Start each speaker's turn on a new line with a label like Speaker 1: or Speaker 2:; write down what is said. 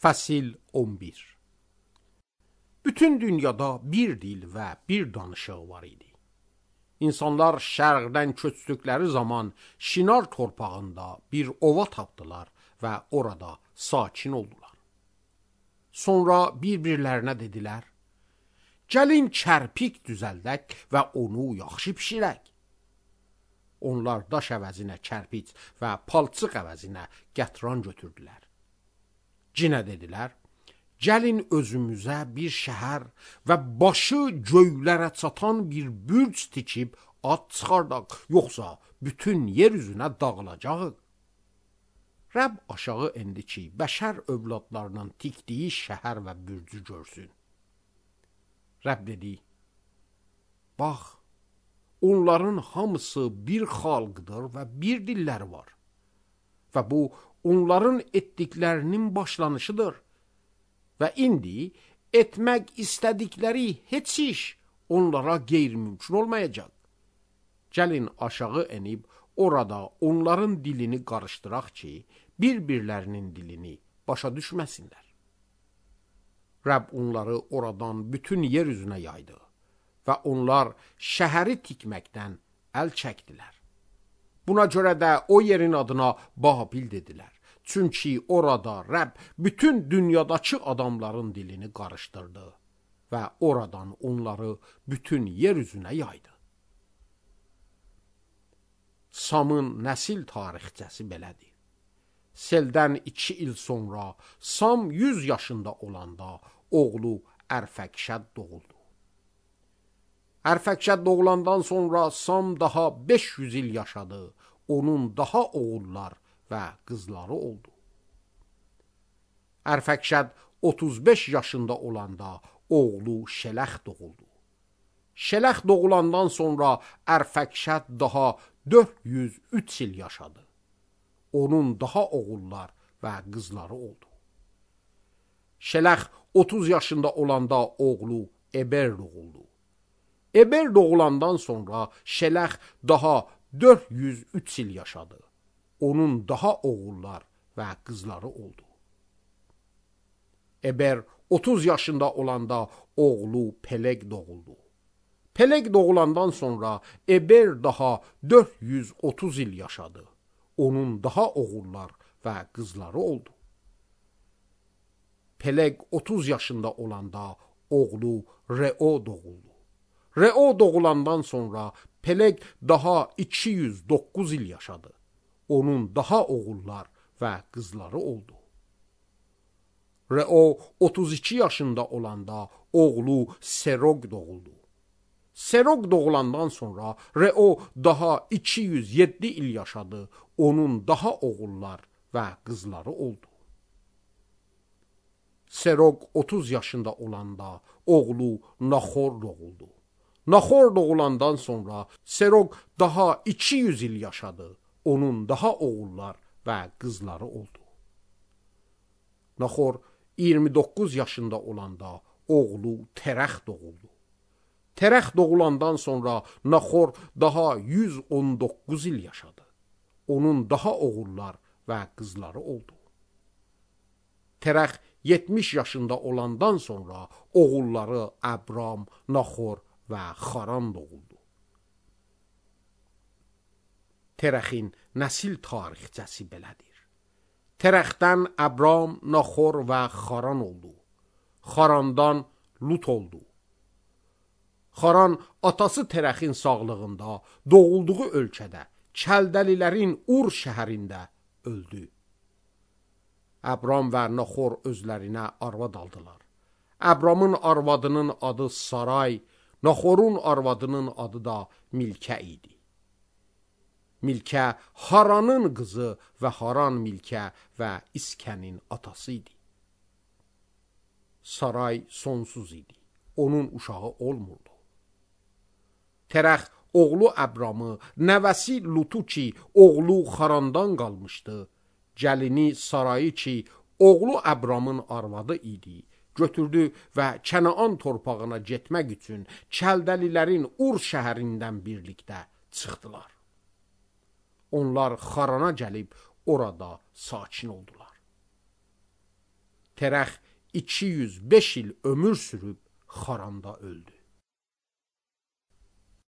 Speaker 1: Fəsil 11. Bütün dünyada bir dil və bir danışıq var idi. İnsanlar şərqdən köçdükləri zaman Şinar torpağında bir ova tapdılar və orada sakin oldular. Sonra bir-birlərinə dedilər, gəlin çərpik düzəldək və onu yaxşı bişirək. Onlar daş əvəzinə çərpic və palçıq əvəzinə qətran götürdülər. Cinə dedilər, gəlin özümüzə bir şəhər və başı göylərə çatan bir bürc tikib ad çıxardaq, yoxsa bütün yer üzünə dağılacaq. Rəbb aşağı endi ki, bəşər övladlarının tikdiyi şəhər və bürcü görsün. Rəbb dedi, bax, onların hamısı bir xalqdır və bir dilləri var. Və bu, onların etdiklərinin başlanışıdır. Və indi etmək istədikləri heç iş onlara qeyri-mümkün olmayacaq. Gəlin aşağı enib orada onların dilini qarışdıraq ki, bir-birlərinin dilini başa düşməsinlər. Rəbb onları oradan bütün yer üzünə yaydı və onlar şəhəri tikməkdən əl çəkdilər. Buna görə də o yerin adına Babil dedilər. Çünki orada Rəbb bütün dünyadakı adamların dilini qarışdırdı və oradan onları bütün yer üzünə yaydı. Samın nəsil tarixçəsi belədir. Seldən 2 il sonra Sam 100 yaşında olanda oğlu Ərfəkşəd doğuldu. Ərfəkşəd doğulandan sonra Sam daha 500 il yaşadı. Onun daha oğullar və qızları oldu. Ərfəkşəd 35 yaşında olanda oğlu Şələx doğuldu. Şələx doğulandan sonra Ərfəkşəd daha 403 il yaşadı. Onun daha oğullar və qızları oldu. Şələx 30 yaşında olanda oğlu Eber doğuldu. Eber doğulandan sonra Şələx daha 403 il yaşadı. Onun daha oğullar və qızları oldu. Eber 30 yaşında olanda oğlu Peleg doğuldu. Peleg doğulandan sonra Eber daha 430 il yaşadı. Onun daha oğullar və qızları oldu. Peleg 30 yaşında olanda oğlu Reo doğuldu. Reo doğulandan sonra Peleg daha 209 il yaşadı. Onun daha oğullar və qızları oldu. Reo 32 yaşında olanda oğlu Serog doğuldu. Serog doğulandan sonra Reo daha 207 il yaşadı. Onun daha oğullar və qızları oldu. Serog 30 yaşında olanda oğlu Naxor doğuldu. Naxor doğulandan sonra Serog daha 200 il yaşadı. Onun daha oğullar və qızları oldu. Naxor 29 yaşında olanda oğlu Terəx doğuldu. Terəx doğulandan sonra Naxor daha 119 il yaşadı. Onun daha oğullar və qızları oldu. Terəx 70 yaşında olandan sonra oğulları Abram, Naxor və Xaran doğuldu. Terəxin nəsil tarixçəsi belədir. Terəxdən Abram, Naxor və Xaran oldu. Xarandan Lut oldu. Xaran atası Terəxin sağlığında doğulduğu ölkədə Kəldəlilərin Ur şəhərində öldü. Abram və Naxor özlərinə arvad aldılar. Abramın arvadının adı Saray, Naxorun arvadının adı da Milkə idi. Milkə Haranın qızı və Haran Milkə və İskənin atası idi. Saray sonsuz idi. Onun uşağı olmurdu. Terəx oğlu Abramı, nəvəsi Lutu ki, oğlu Xarandan qalmışdı, gəlini Sarayı ki, oğlu Abramın arvadı idi, götürdü və Kənaan torpağına getmək üçün Kəldəlilərin Ur şəhərindən birlikdə çıxdılar. Onlar Xarana gəlib orada sakin oldular. Terəx 205 il ömür sürüb xaranda öldü.